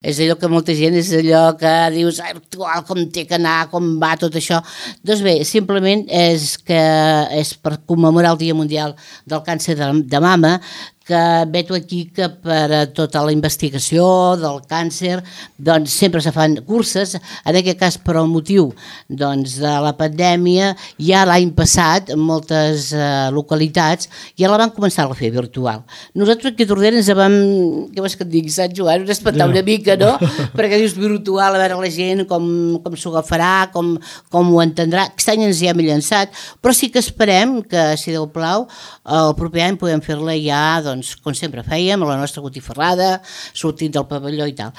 És allò que molta gent és allò que dius actual, com té que anar, com va tot això. Doncs bé, simplement és per commemorar el Dia Mundial del Càncer de Mama, que veig aquí que per a tota la investigació del càncer doncs sempre se fan curses, en aquest cas per al motiu doncs, de la pandèmia, ja l'any passat en moltes localitats ja la van començar a fer virtual. Nosaltres aquí a Tordera ens vam, què vols que et digui, Sant Joan, ens espantar una mica, no? Perquè dius virtual, a veure la gent com s'ho agafarà, com ho entendrà. Aquest any ens hi hem llançat, però sí que esperem que, si Déu plau, el proper any podem fer-la ja, doncs, com sempre fèiem, a la nostra botifarrada, sortint del pavelló i tal.